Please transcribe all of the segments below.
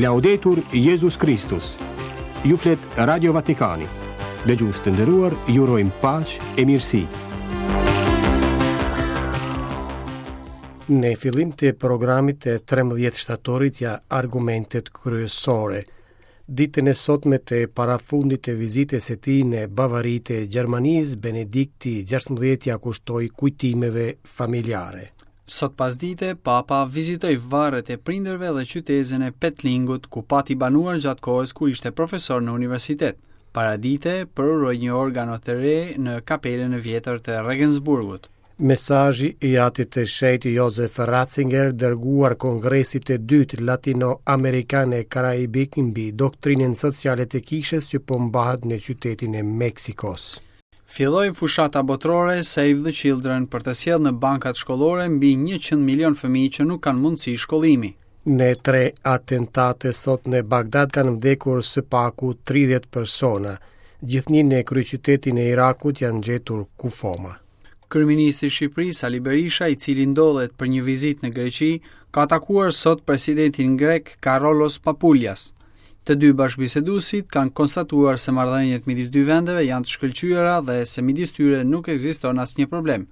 Laudetur Jezus Kristus. Ju flet Radio Vatikani. Dëgjues të nderuar, ju urojmë paqe e mirësi. Në fillim të programit të 13 shtatorit ja argumentet kryesore. Ditën e sotme të parafundit të vizitës së tij në Bavari të Gjermanisë, Benedikti XVI ia kushtoi kujtimeve familjare. Sot pasdite, Papa vizitoi varret e prindërve dhe qytezën e Petlingut, ku pati banuar gjatë kohës kur ishte profesor në universitet. Paradite, përuroi një organo të re në kapelën e vjetër të Regensburgut. Mesazhi i Atit të Shenjtë Josef Ratzinger dërguar Kongresit të Dytë Latino-Amerikan e Karaibik mbi doktrinën sociale të Kishës që po mbahet në qytetin e Meksikos. Filloi fushata botërore Save the Children për të sjellë në bankat shkollore mbi 100 milionë fëmijë që nuk kanë mundësi shkollimi. Në tre atentate sot në Bagdad kanë vdekur së paku 30 persona. Gjithnjë në kryeqytetin e Irakut janë gjetur kufoma. Kryeministri i Shqipërisë, Sali Berisha, i cili ndodhet për një vizitë në Greqi, ka takuar sot presidentin grek Karolos Papulias. Të dy bashkëbiseduesit kanë konstatuar se marrëdhëniet midis dy vendeve janë të shkëlqyera dhe se midis tyre nuk ekziston asnjë problem.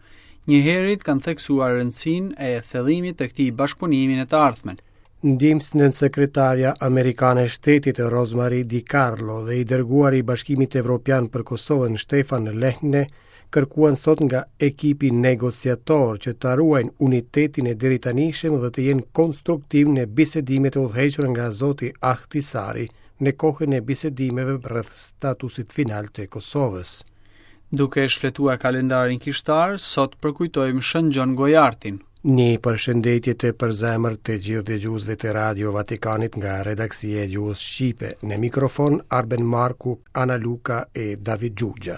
Njëherit kanë theksuar rëndësinë e thellimit të këtij bashkëpunimi në të ardhmen. Ndihmësnënsekretarja amerikane e Shtetit Rosemarie DiCarlo dhe i dërguari i Bashkimit Evropian për Kosovën Stefan Lehne kërkuan sot nga ekipi negociator që ta ruajnë unitetin e deritanishëm dhe të jenë konstruktivë në bisedimet e udhëhequra nga zoti Ahtisaari në kohën e bisedimeve rreth statusit final të Kosovës. Duke shfletuar kalendarin kishtar, sot përkujtojmë Shën Gjon Gojartin. Një përshëndetje të përzemërt të gjithë dëgjuesve të Radio Vatikanit nga redaksia e gjuhës shqipe. Në mikrofon Arben Marku, Ana Luka e David Xhuxha.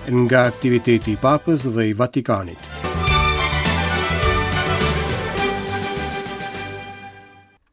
Nga aktiviteti i Papës dhe i Vatikanit.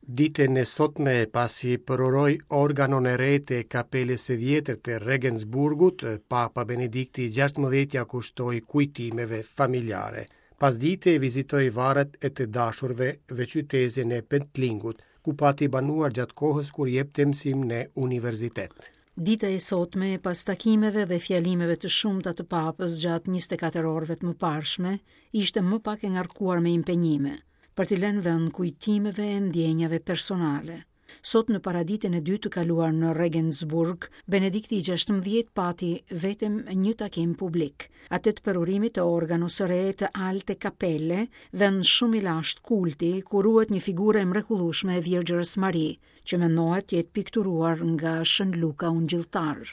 Ditën e sotme, pasi përuroi organon e re të kapelës së vjetër të Regensburgut, Papa Benedikti XVI ia kushtoi kujtimeve familjare. Pasdite vizitoi varret e të dashurve dhe qytezën e Pentlingut, ku pati banuar gjatë kohës kur jepte mësim në universitet. Dita e sotme, pas takimeve dhe fjalimeve të shumta të Papës gjatë 24 orëve të mëparshme, ishte më pak e ngarkuar me impenjime. për t'i lënë vend kujtimeve e ndjenjave personale. Sot në paraditen e dytë të kaluar në Regensburg, Benedikti i XVI pati vetëm një takim publik, atë të përurimit të organos së re të Alte Kapelle, vend shumë i lashtë kulti, ku ruhet një figurë e mrekullueshme e Virgjërës Mari, që mendohet të jetë pikturuar nga Shën Luka Ungjilltar.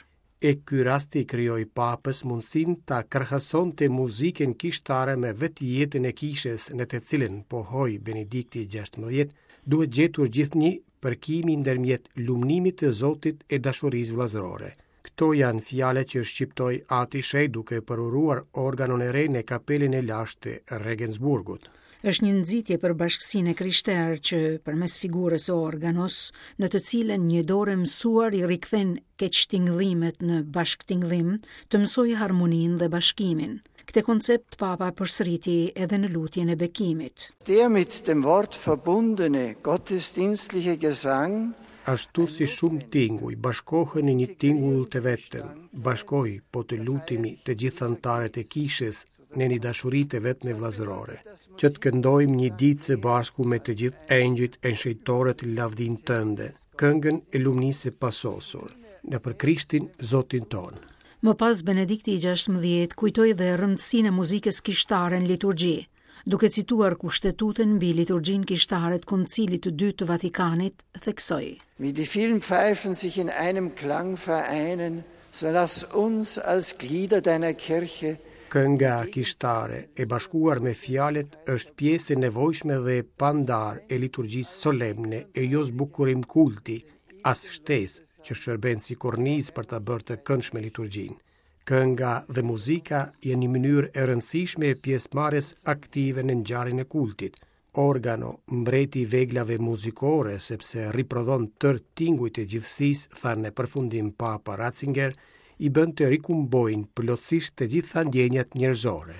E ky rast i krijoi Papës mundësinë ta krahasonte muzikën kishtare me vetë jetën e kishës në të cilën, pohoi Benedikti XVI, duhet gjetur gjithnjë përkimi ndërmjet lumnimit të Zotit e dashurisë vëllazërore. Këto janë fjalët që shqiptoi Ati i Shenjtë duke përuruar organon e re në kapelën e lashtë të Regensburgut. Është një nxitje për bashkësinë e krishterë që përmes figurës së organos, në të cilën një dorë e mësuar i rikthen keqtingëllimet në bashkëtingëllim, të mësojë harmoninë dhe bashkimin. Këtë koncept Papa e përsëriti edhe në lutjen e bekimit. Der mit dem Wort verbundene gottesdienstliche Gesang Ashtu si shumë tinguj bashkohen në një tingull të vetëm, bashkoji, po të lutemi të gjithë anëtarët e kishës në një dashuri të vetme vëllazërore, që të këndojmë një ditë së bashku me të gjithë engjëjt e shenjtorët lavdinë tënde, këngën e lumnisë së pasosur, nëpër Krishtin Zotin tonë. Më pas Benedikti i XVI kujtoi dhe rëndësinë e muzikës kishtare në liturgji, duke cituar kushtetutën mbi liturgjinë kishtare të Koncilit të Dytë të Vatikanit, theksoi. Wie die vielen Pfeifen sich in einem Klang vereinen, so lass uns als Glieder deiner Kirche Kënga kishtare, e bashkuar me fjalët, është pjesë e nevojshme dhe e pandarë e liturgjisë solemne e jo zbukurim kulti, as shtesë, që shërben si kornizë për ta bërë të këndshme liturgjinë. Kënga dhe muzika janë një mënyrë e rëndësishme e pjesëmarrjes aktive në ngjarjen e kultit. Organo, mbreti i veglave muzikore, sepse riprodhon tërë tingujt e gjithësisë, tha në përfundim Papa Ratzinger, i bën të rikumbojnë plotësisht të gjitha ndjenjat njerëzore.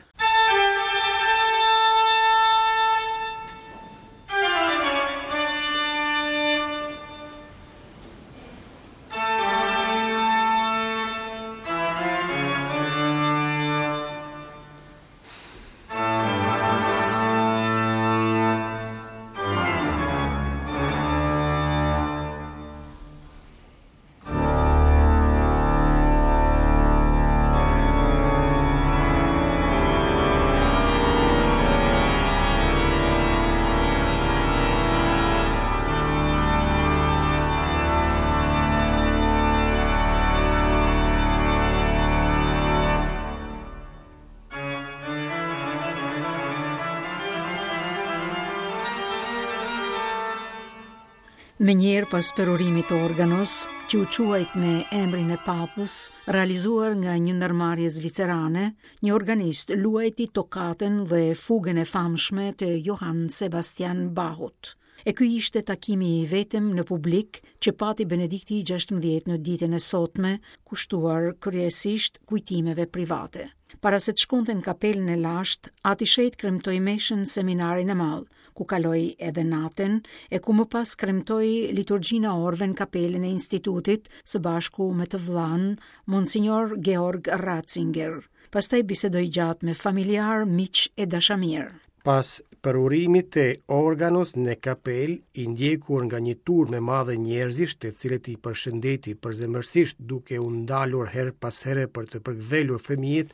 Menjëherë pas përurimit të organos, që u quajt me emrin e papës, realizuar nga një ndërmarrje zvicerane, një organist luajti tokatën dhe fugën e famshme të Johann Sebastian Bachut. E ky ishte takimi i vetëm në publik që pati Benedikti i 16 në ditën e sotme, kushtuar kryesisht kujtimeve private. Para se të shkonte në kapelën e lashtë, Ati i Shenjtë kremtoi meshën në seminarin e madh, ku kaloi edhe natën, e ku më pas kremtoi liturgjinë e orëve në kapelën e institutit, së bashku me të vëllanë, Monsignor Georg Ratzinger. Pastaj bisedoi gjatë me familjarë, miq e dashamirë. Pas përurimit të organos në kapelë, i ndjekur nga një turmë e madhe njerëzish, të cilët i përshëndeti përzemërsisht duke u ndalur herë pas here për të përkëdhelur fëmijët,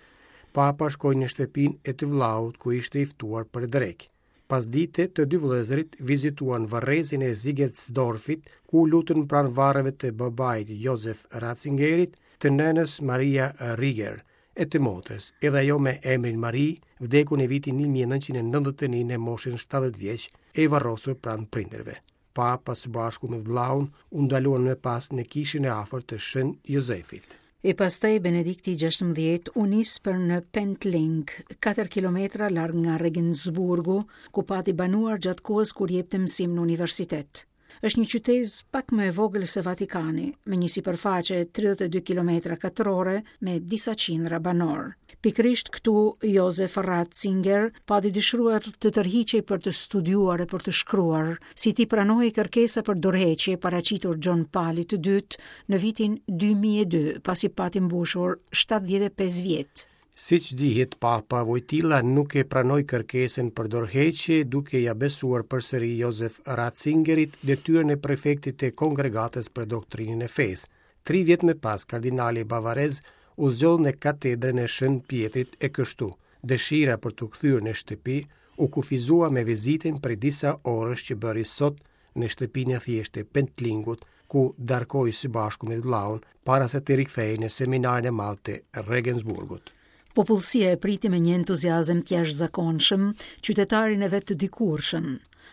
Papa shkoi në shtëpinë e të vëllaut ku ishte i ftuar për drekë. Pasdite, të dy vëllezërit vizituan varrezën e Ziegetsdorfit, ku u lutën pranë varreve të babait Josef Ratzingerit, të nënës Maria Rieger, e të motrës, edhe ajo me emrin Marie, vdekur në vitin 1991 në moshën 70 vjeç, e varrosur pranë prindërve. Papa së bashku me vëllaun u ndaluan më pas në kishën e afërt të Shën Jozefit. E pastaj Benedikti i 16 u nis për në Pentling, 4 kilometra larg nga Regensburgu, ku pati banuar gjatë kohës kur jepte mësim në universitet. Është një qytezë pak më e vogël se Vatikani, me një sipërfaqe 32 kilometra katrore me disa qindra banorë. Pikërisht këtu Josef Ratzinger pati dëshiruar të tërhiqej për të studiuar e për të shkruar, si t'i pranohej kërkesa për dorëheqje paraqitur Gjon Palit të Dytë në vitin 2002, pasi pati mbushur 75 vjet. Siç dihet, Papa Vojtila nuk e pranoi kërkesën për dorëheqje, duke ia besuar përsëri Josef Ratzingerit detyrën e prefektit të Kongregatës për Doktrinën e Fesë. Tri vjet më pas, kardinali bavarez u zgjodh në katedrën e Shën Pjetrit e kështu, dëshira për t'u kthyer në shtëpi u kufizua me vizitën prej disa orësh që bëri sot në shtëpinë e thjeshtë të Pentlingut, ku darkoi së bashku me vëllaun para se të rikthehej në seminarin e madh të Regensburgut. Popullsia e priti me një entuziazëm të jashtëzakonshëm qytetarin e vet të dikurshëm,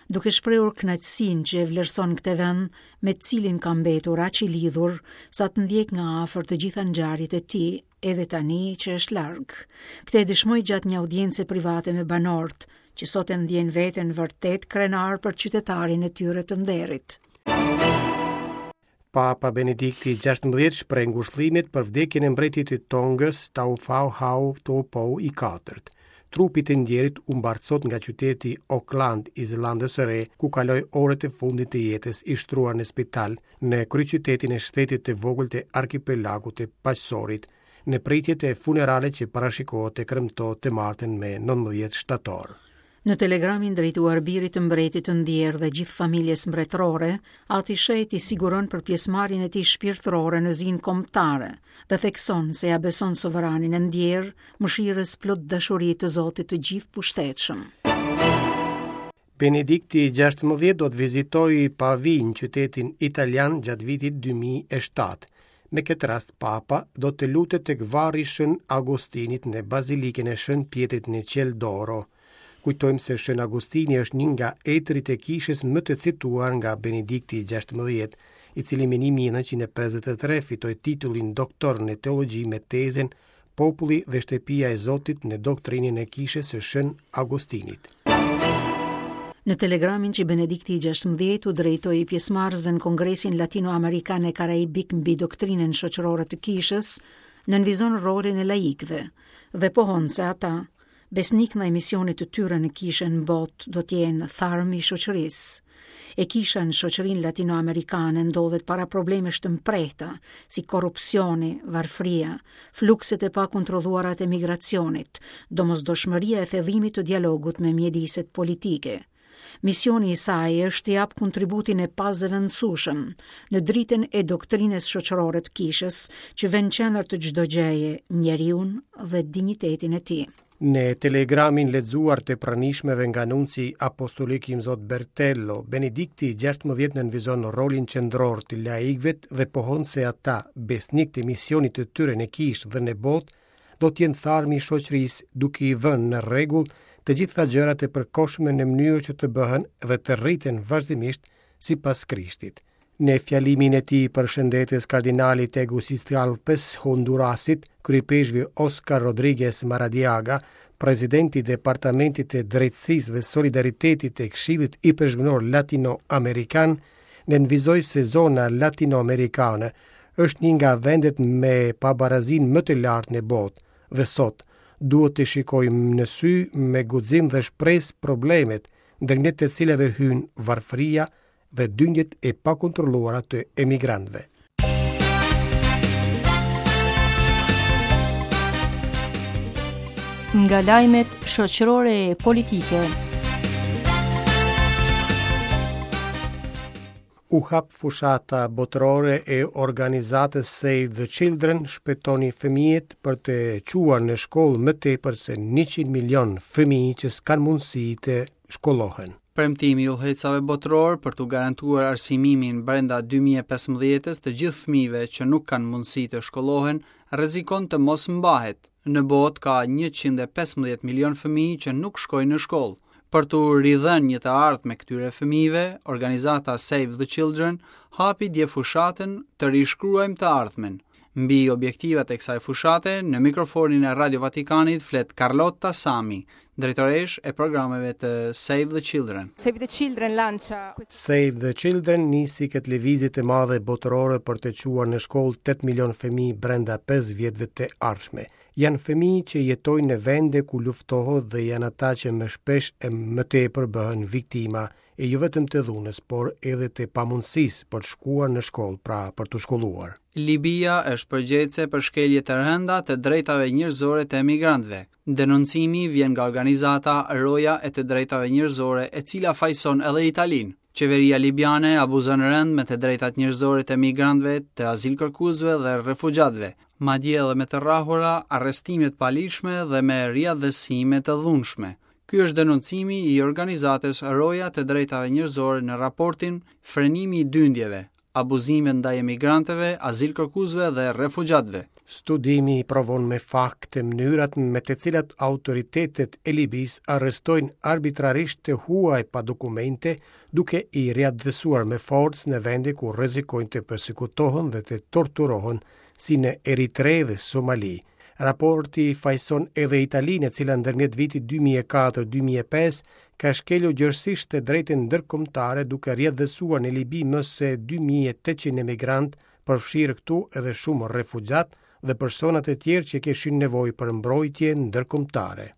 duke shprehur kënaqësinë që e vlerëson këtë vend me të cilin ka mbetur aq i lidhur sa të ndjekë nga afër të gjitha ngjarjet e tij edhe tani që është larg. Këtë e dëshmoi gjatë një audience private me banorët, që sot e ndjenë veten vërtet krenarë për qytetarin e tyre të nderit. Papa Benedikti XVI shpreh ngushëllimet për vdekjen e mbretit të Tongës, Taufauhau Tupou i katërt. Trupi i të ndjerit u mbart sot nga qyteti Auckland i Zelandës së Re, ku kaloi orët e fundit të jetës i shtruar në spital në kryeqytetin e shtetit të vogël të arkipelagut të Paqësorit, në pritje të funeralit që parashikohet të kremtohet të martën me 19 shtator. Në telegramin drejtuar birit të mbretit të ndjerë dhe gjithë familjes mbretërore, Ati i Shenjtë i siguron për pjesëmarrjen e tij shpirtërore në zinë kombëtare dhe thekson se ia beson sovranin e ndjerë mëshirës plot dashuri të Zotit të Gjithëpushtetshëm. Benedikti XVI do të vizitojë Pavinë, qytetin italian gjatë vitit 2007. Me këtë rast Papa do të lutet tek varri i Shën Agustinit në Bazilikën e Shën Pjetrit në Ciel d'Oro. Kujtojmë se Shën Agustini është një nga etërit e kishës më të cituar nga Benedikti XVI, i cili më 1953 fitoi titullin doktor në teologji me tezën Populli dhe shtëpia e Zotit në doktrinën e Kishës së Shën Agustinit. Në telegramin që Benedikti i 16 u drejtoi pjesëmarrësve në Kongresin Latinoamerikan e Karaibik mbi doktrinën shoqërore të Kishës, nënvizon rolin e laikëve dhe pohon se ata Besnikë ndaj misionit të tyre në kishën në botë do të jenë tharmi i shoqërisë. E kisha në shoqërinë latinoamerikane ndodhet para problemesh të mprehta, si korrupsioni, varfëria, flukset e pakontrolluara të emigracionit, domosdoshmëria e thellimit të dialogut me mjediset politike. Misioni i saj është të japë kontributin e pazëvendësueshëm në dritën e doktrinës shoqërore të kishës, që vë në qendër të çdo gjëje njeriun dhe dinjitetin e tij. Në telegramin lexuar të pranishmëve nga nunci apostolik Imzot Bertello, Benedikti XVI nënvizon rolin qendror të laikëve dhe pohon se ata, besnikë të misionit të tyre në kishë dhe në botë, do të jenë tharmi i shoqërisë duke i vënë në rregull të gjitha gjërat e përkohshme në mënyrë që të bëhen dhe të rriten vazhdimisht sipas Krishtit. Në fjalimin e tij përshëndetës kardinali i Tegucigalpës, Hondurasit, kryeipeshkvi Oscar Rodriguez Maradiaga, presidenti i Departamentit të Drejtësisë dhe Solidaritetit të Këshillit Ipeshkvnor Latino-Amerikan, nënvizoi se zona latino-amerikane është një nga vendet me pabarazinë më të lartë në botë dhe sot duhet të shikojmë në sy me guxim dhe shpresë problemet, ndërmjet të cilave hyjnë varfëria dhe dyndjet e pakontrolluara të emigrantëve. Nga lajmet shoqërore e politike. U hap fushata botërore e organizatës Save the Children, shpëtoni fëmijët për të çuar në shkollë më tepër se 100 milion fëmijë që s'kanë mundësi të shkollohen. Premtimi i udhëheqësave botërorë për t'u garantuar arsimimin brenda 2015-ës të gjithë fëmijëve që nuk kanë mundësi të shkollohen, rrezikon të mos mbahet. Në botë ka 115 milion fëmijë që nuk shkojnë në shkollë. Për t'u ridhënë një të ardhme këtyre fëmijëve, organizata Save the Children hapi dje fushatën Të rishkruajmë të ardhmen. Mbi objektivat e kësaj fushate, në mikrofonin e Radio Vatikanit flet Carlotta Sami, drejtoreshë e programeve të Save the Children. Save the Children lancia Save the Children nisi këtë lëvizje të madhe botërore për të çuar në shkollë 8 milion fëmijë brenda 5 vjetëve të ardhshme. Janë fëmijë që jetojnë në vende ku luftohet dhe janë ata që më shpesh e më tepër bëhen viktima e jo vetëm të dhunës, por edhe të pamundësisë për të shkuar në shkollë, pra për t'u shkolluar. Libia është përgjegjëse për shkelje të rënda të drejtave njerëzore të emigrantëve. Denoncimi vjen nga organizata Roja e të Drejtave Njerëzore, e cila fajëson edhe Italinë. Qeveria libiane abuzon rëndë me të drejtat njerëzore të emigrantëve, të azilkërkuesve dhe refugjatëve, madje edhe me të rrahura, arrestime të paligjshme dhe me riatdhesime të dhunshme. Ky është denoncimi i organizatës Roja të Drejtave Njerëzore në raportin Frenimi i dyndjeve, abuzimet ndaj emigrantëve, azilkërkuesve dhe refugjatëve. Studimi provon me fakte mënyrat me të cilat autoritetet e Libisë arrestojnë arbitrarisht të huaj pa dokumente, duke i riatdhesuar me forcë në vende ku rrezikojnë të persekutohen dhe të torturohen, si në Eritre dhe Somali. Raporti fajëson edhe Italinë, e cila ndërmjet vitit 2004-2005 ka shkelur gjerësisht të drejtën ndërkombëtare duke riatdhesuar në Libi më se 2800 emigrantë, përfshirë këtu edhe shumë refugjatë dhe persona të tjerë që kishin nevojë për mbrojtje ndërkombëtare.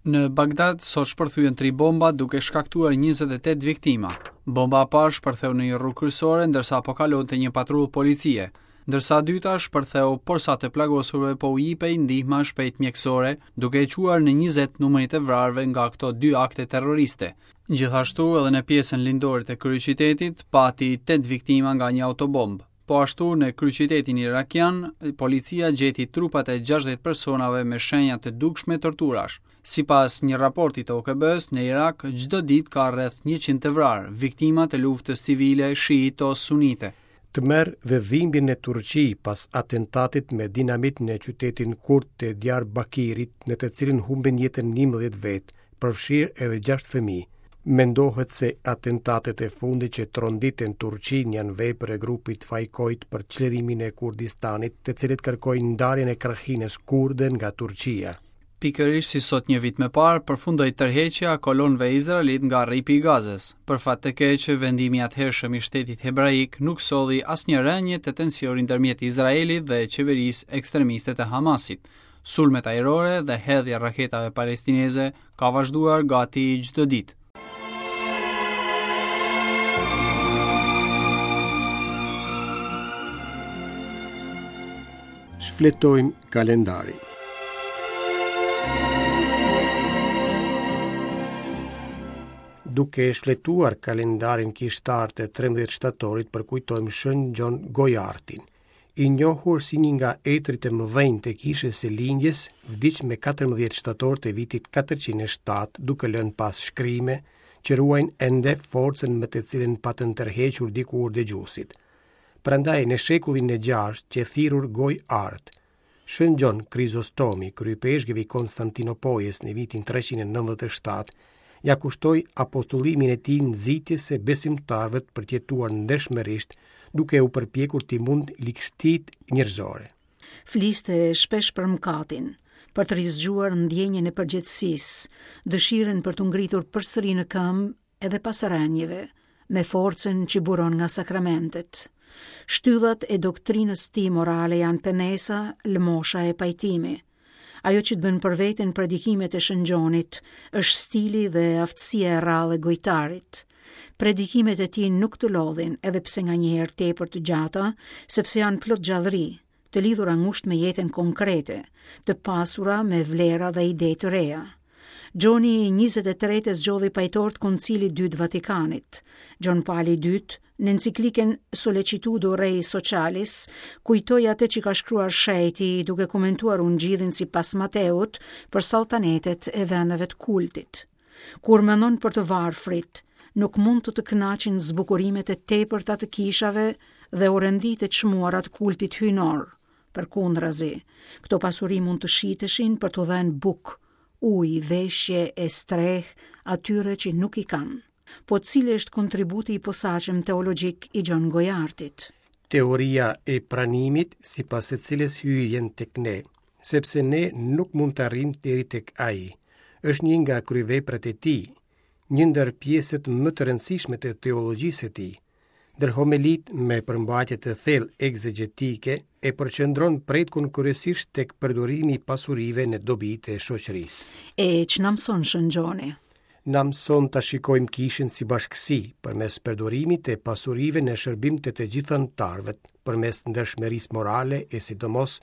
Në Bagdad sot shpërthyen tri bomba duke shkaktuar 28 viktima. Bomba e parë shpërtheu në një rrugë kryesore ndërsa po kalonte një patrullë policie, ndërsa e dyta shpërtheu porsa të plagosurve po u jipej ndihma e shpejtë mjekësore, duke e çuar në 20 numrin e të vrarëve nga këto dy akte terroriste. Gjithashtu edhe në pjesën lindore të kryeqytetit pati 8 viktima nga një autobombë. Po ashtu në kryeqytetin irakian, policia gjeti trupat e 60 personave me shenja të dukshme torturash. Sipas një raporti të OKB-së, në Irak çdo ditë ka rreth 100 të vrarë, viktima të luftës civile shiito-sunite. Tmerr dhe dhimbje në Turqi pas atentatit me dinamit në qytetin kurd të Diyarbakirit, në të cilin humbën jetën 11 vetë, përfshirë edhe 6 fëmijë. Mendohet se atentatet e fundit që tronditën Turqinë janë vepër e grupit Fajkojt për çlirimin e Kurdistanit, të cilët kërkojnë ndarjen e krahinës kurde nga Turqia. Pikërisht si sot një vit më parë, përfundoi tërheqja e kolonëve izraelitë nga Rripi i Gazës. Për fat të keq, vendimi i atëhershëm i shtetit hebraik nuk solli asnjë rënie të tensionit ndërmjet Izraelit dhe qeverisë ekstremiste të Hamasit. Sulmet ajrore dhe hedhja e raketave palestineze ka vazhduar gati çdo ditë. Shfletojmë kalendarin. Duke shfletuar kalendarin kishtar të 13 shtatorit përkujtojmë Shën Gjon Gojartin. I njohur si një nga etërit e mëdhenj të Kishës së Lindjes, vdiq me 14 shtator të vitit 407, duke lënë pas shkrime që ruajnë ende forcën me të cilën patën tërhequr dikur dëgjuesit. Prandaj në shekullin e gjashtë qe thirrur Gojëartë. Shën Gjon Krizostomi, kryeipeshkëv i Konstantinopojës në vitin 397, Ia kushtoi apostullimin e tij nxitjes së besimtarëve për të jetuar ndershmërisht, duke u përpjekur t'i mundë ligësitë njerëzore. Fliste shpesh për mëkatin, për të rizgjuar ndjenjën e përgjegjësisë, dëshirën për t'u ngritur përsëri në këmbë edhe pas rënieve, me forcën që buron nga sakramentet. Shtyllat e doktrinës tij morale janë penesa, lëmosha e pajtimi. Ajo që të bën për vete në predikimet e Shën Gjonit është stili dhe aftësia e rrallë e gojtarit. Predikimet e tij nuk të lodhin, edhe pse nganjëherë tepër të gjata, sepse janë plot gjallëri, të lidhura ngushtë me jetën konkrete, të pasura me vlera dhe ide të reja. Gjoni i 23 e zgjodhi pajtor të Koncilit të Dytë Vatikanit. Gjon Pali i Dytë, në enciklikën Sollecitudo Rei Socialis, kujtoi atë që ka shkruar shejti duke komentuar ungjillin sipas Mateut për salltanetet e vendeve të kultit. Kur mendon për të varfrit, nuk mund të të kënaqin zbukurimet e tepërta të kishave dhe orenditë e çmuara të kultit hyjnor. Përkundrazi, këto pasuri mund të shiteshin për t'u dhënë bukë, ujë, veshje e strehë atyre që nuk i kanë. Po cili është kontributi i posaçëm teologjik i Gjon Gojartit? Teoria e pranimit, sipas së cilës Hyji vjen tek ne, sepse ne nuk mund të arrijmë deri tek ai, është një nga kryeveprat e tij, një ndër pjesët më të rëndësishme të teologjisë së tij. Ndër homelitë me përmbajtje të thellë ekzegjetike e përqendron pretkun kryesisht tek përdorimi i pasurive në dobi të shoqërisë. E ç'na mëson Shën Gjoni? Na mëson ta shikojmë kishën si bashkësi, përmes përdorimit të pasurive në shërbim të të gjithë anëtarëve, përmes ndershmërisë morale e sidomos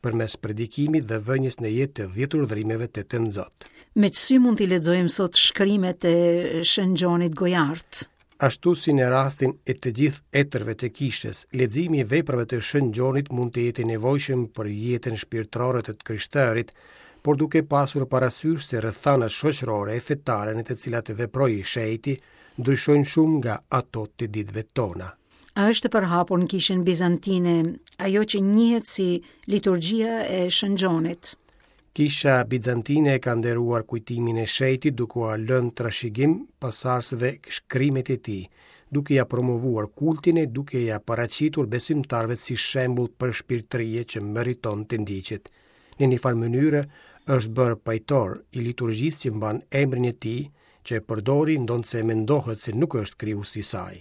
përmes predikimit dhe vënies në jetë të dhjetë urdhërimeve të Tënzot. Me ç'sy mund t'i lexojmë sot shkrimet e Shën Gjonit Gojart? Ashtu si në rastin e të gjithë etërve të kishës, leximi i veprave të Shën Gjonit mund të jetë i nevojshëm për jetën shpirtërore të të krishterit, por duke pasur parasysh se rrethanat shoqërore e fetare në të cilat veproi shejti ndryshojnë shumë nga ato të ditëve tona. A është e përhapur në kishën bizantine ajo që njihet si liturgjia e Shën Gjonit? Kisha Bizantine e ka nderuar kujtimin e shejtit duke ua lënë trashëgim pasardhësve shkrimet e tij, duke ia promovuar kultin e duke ia paraqitur besimtarëve si shembull përshpirtërie që meriton të ndiqet. Në një farë mënyre është bërë pajtor i liturgjisë që mban emrin e tij, që e përdori ndonëse mendohet se nuk është krijuesi i saj.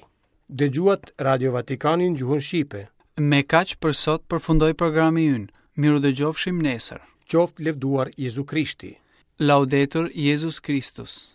Dëgjuat Radio Vatikanin në gjuhën shqipe. Me kaq për sot përfundoi programi ynë. Mirudëgjofshim nesër. Qoftë lëvduar Jezu Krishti. Laudetur Jezus Kristus.